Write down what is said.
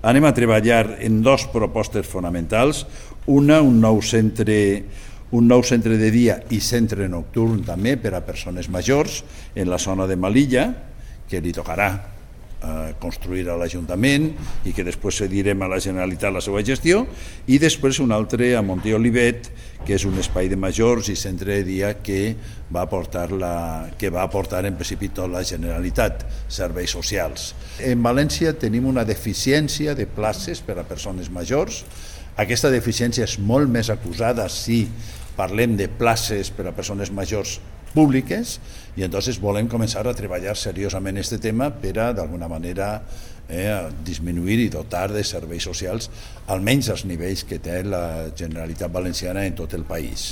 anem a treballar en dues propostes fonamentals. Una, un nou centre de dia i centre nocturn també per a persones majors en la zona de Melilla, que li tocarà construir a l'Ajuntament i que després cedirem a la Generalitat la seva gestió, i després un altre a Montolivet, que és un espai de majors i centre de dia que va aportar en principi tota la Generalitat, serveis socials. En València tenim una deficiència de places per a persones majors. Aquesta deficiència és molt més acusada si parlem de places per a persones majors públiques, i entonces volem començar a treballar seriosament aquest tema per a, d'alguna manera, disminuir i dotar de serveis socials almenys als nivells que té la Generalitat Valenciana en tot el país.